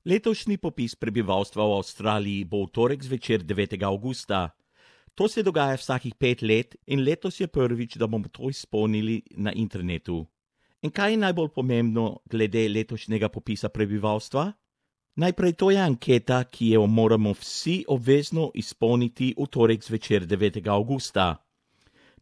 Letošnji popis prebivalstva v Avstraliji bo v torek zvečer 9. avgusta. To se dogaja vsakih 5 let in letos je prvič, da bomo to izpolnili na internetu. In kaj je najbolj pomembno glede letošnjega popisa prebivalstva? Najprej to je anketa, ki jo moramo vsi obvezno izpolniti v torek zvečer 9. avgusta.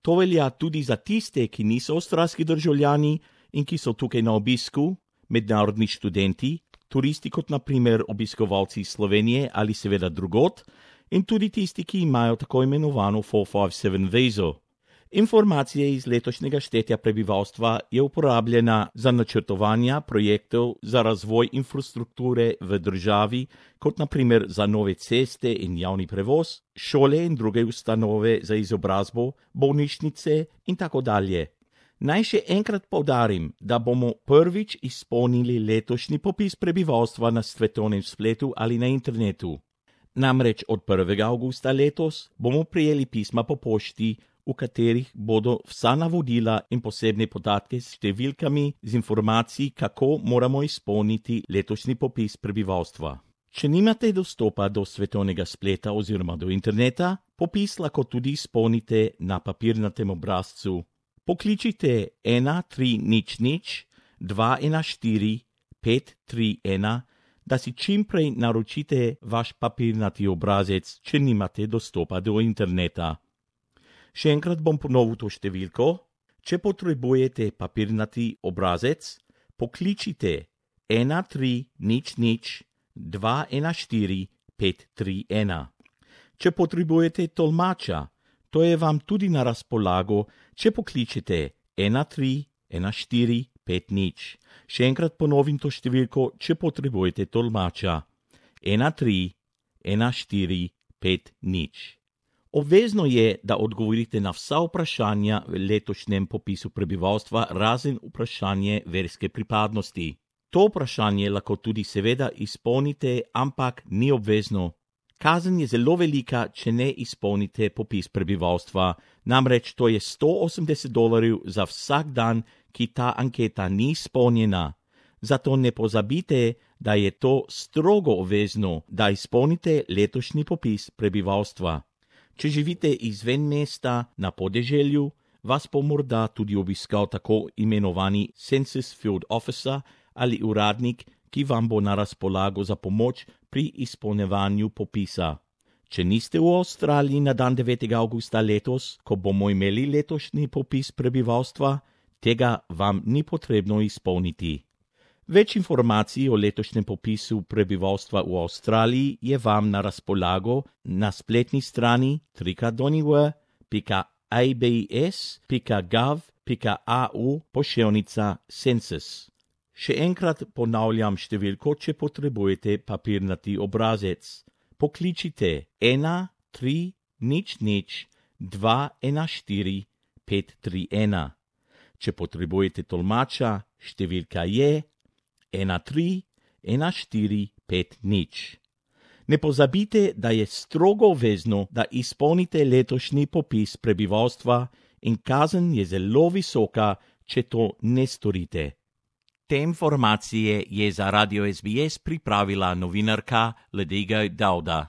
To velja tudi za tiste, ki niso avstralski državljani in ki so tukaj na obisku, mednarodni študenti, turisti kot na primer obiskovalci iz Slovenije ali seveda drugod, in tudi tisti, ki imajo tako imenovano 457 vizo. Informacije iz letošnjega štetja prebivalstva je uporabljena za načrtovanje projektov za razvoj infrastrukture v državi, kot na primer za nove ceste in javni prevoz, šole in druge ustanove za izobrazbo, bolnišnice in tako dalje. Naj še enkrat poudarim, da bomo prvič izpolnili letošnji popis prebivalstva na svetovnem spletu ali na internetu. Namreč od 1. avgusta letos bomo prejeli pisma po pošti, v katerih bodo vsa navodila in posebne podatke s številkami z informacij, kako moramo izpolniti letošnji popis prebivalstva. Če nimate dostopa do svetovnega spleta oziroma do interneta, popis lahko tudi izpolnite na papirnatem obrazcu. Pokličite 1300 214 531, da si čimprej naročite vaš papirnati obrazec, če nimate dostopa do interneta. Še enkrat bom ponovil to številko. Če potrebujete papirnati obrazec, pokličite 1300 214 531. Če potrebujete tolmača, to je vam tudi na razpolago, če pokličete 131450. Še enkrat ponovim to številko, če potrebujete tolmača 131450. Obvezno je, da odgovorite na vsa vprašanja v letošnjem popisu prebivalstva, razen vprašanje verske pripadnosti. To vprašanje lahko tudi seveda izpolnite, ampak ni obvezno. Kazen je zelo velika, če ne izpolnite popis prebivalstva, namreč to je $180 za vsak dan, ki ta anketa ni izpolnjena. Zato ne pozabite, da je to strogo obvezno, da izpolnite letošnji popis prebivalstva. Če živite izven mesta na podeželju, vas bo morda tudi obiskal tako imenovani Census Field Officer ali uradnik, ki vam bo na razpolago za pomoč pri izpolnjevanju popisa. Če niste v Avstraliji na dan 9. avgusta letos, ko bomo imeli letošnji popis prebivalstva, tega vam ni potrebno izpolniti. Več informacij o letošnjem popisu prebivalstva v Avstraliji je vam na razpolago na spletni strani www.abs.gov.au/census. Še enkrat ponavljam številko, če potrebujete papirnati obrazec. Pokličite 1300 214 531. Če potrebujete tolmača, številka je 131450. Ne pozabite, da je strogo obvezno, da izpolnite letošnji popis prebivalstva in kazen je zelo visoka, če to ne storite. Te informacije je za Radio SBS pripravila novinarka Ledega Dauda.